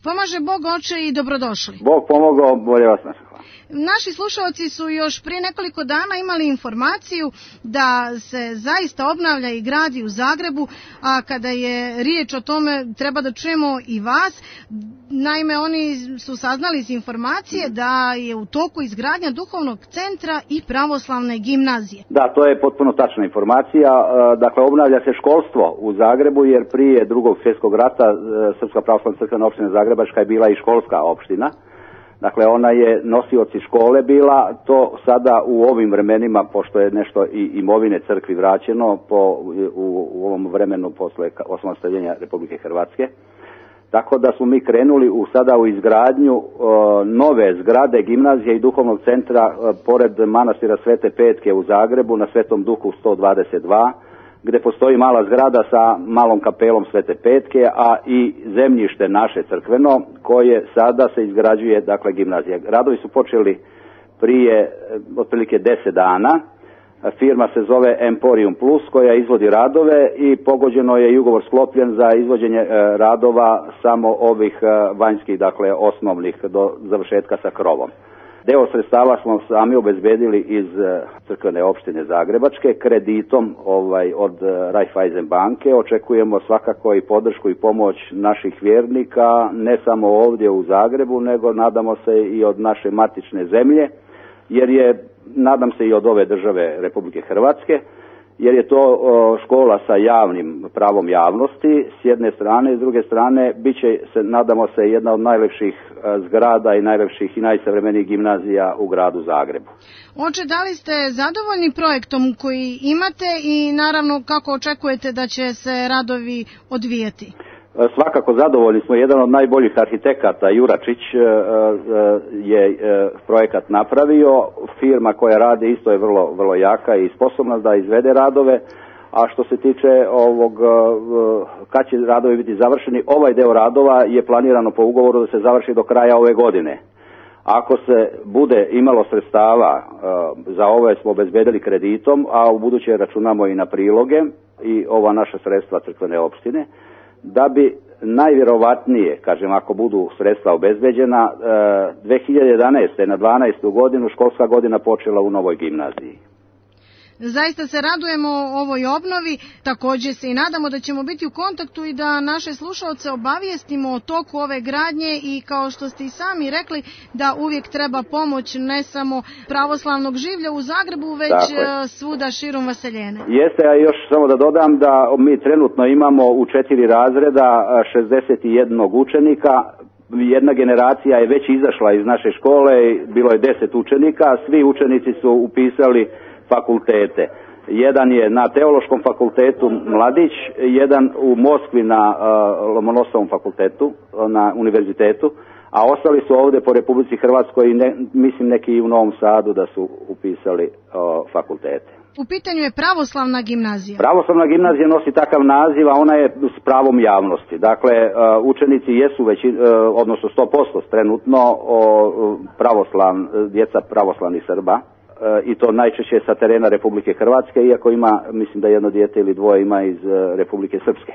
Pomaže Bog, oče, i dobrodošli. Bog pomogao, bolje vas našao. Naši slušalci su još prije nekoliko dana imali informaciju da se zaista obnavlja i gradi u Zagrebu, a kada je riječ o tome treba da čujemo i vas. Naime, oni su saznali iz informacije da je u toku izgradnja duhovnog centra i pravoslavne gimnazije. Da, to je potpuno tačna informacija. Dakle, obnavlja se školstvo u Zagrebu jer prije Drugog svjetskog rata Srpska pravoslavna crkvena opština Zagrebačka je bila i školska opština. Dakle, ona je nosioci škole bila, to sada u ovim vremenima, pošto je nešto i imovine crkvi vraćeno u ovom vremenu posle osamostaljenja Republike Hrvatske. Tako da smo mi krenuli sada u izgradnju nove zgrade gimnazije i duhovnog centra pored manastira Svete Petke u Zagrebu na Svetom Duhu 122, gde postoji mala zgrada sa malom kapelom Svete Petke, a i zemljište naše crkveno koje sada se izgrađuje, dakle, gimnazija. Radovi su počeli prije otprilike 10 dana. Firma se zove Emporium Plus koja izvodi radove i pogođeno je i ugovor sklopljen za izvođenje radova samo ovih vanjskih, dakle osnovnih do završetka sa krovom. Deo sredstava smo sami obezbedili iz crkvene opštine Zagrebačke kreditom od Raiffeisen banke. Očekujemo svakako i podršku i pomoć naših vjernika, ne samo ovdje u Zagrebu, nego nadamo se i od naše matične zemlje, jer je, nadam se, i od ove države Republike Hrvatske, jer je to škola sa javnim pravom javnosti s jedne strane, i s druge strane bit će, nadamo se, jedna od najlepših zgrada i najlepših i najsavremenijih gimnazija u gradu Zagrebu. Oče, da li ste zadovoljni projektom koji imate i naravno kako očekujete da će se radovi odvijati? Svakako zadovoljni smo. Jedan od najboljih arhitekata, Juračić, je projekat napravio. Firma koja radi isto je vrlo, vrlo jaka i sposobna da izvede radove. A što se tiče kad će radovi biti završeni, ovaj deo radova je planirano po ugovoru da se završi do kraja ove godine. Ako se bude imalo sredstava, za ove smo obezbedili kreditom, a u buduće računamo i na priloge i ova naša sredstva crkvene opštine, da bi najvjerovatnije, kažem, ako budu sredstva obezbeđena, 2011. na 12. godinu školska godina počela u novoj gimnaziji. Zaista se radujemo ovoj obnovi, također se i nadamo da ćemo biti u kontaktu i da naše slušalce obavijestimo o toku ove gradnje i kao što ste i sami rekli da uvijek treba pomoć ne samo pravoslavnog življa u Zagrebu, već svuda širom Vaseljene. Jeste, a još samo da dodam da mi trenutno imamo u 4 razreda 61 učenika. Jedna generacija je već izašla iz naše škole, bilo je 10 učenika, svi učenici su upisali fakultete. Jedan je na Teološkom fakultetu Mladić, jedan u Moskvi na Lomonosovom fakultetu, na univerzitetu, a ostali su ovdje po Republici Hrvatskoj i mislim neki i u Novom Sadu da su upisali fakultete. U pitanju je pravoslavna gimnazija. Pravoslavna gimnazija nosi takav naziv, a ona je s pravom javnosti. Dakle, učenici jesu već, odnosno 100% trenutno djeca pravoslavnih Srba, i to najčešće sa terena Republike Hrvatske, iako ima, mislim da jedno dijete ili dvoje ima iz Republike Srpske.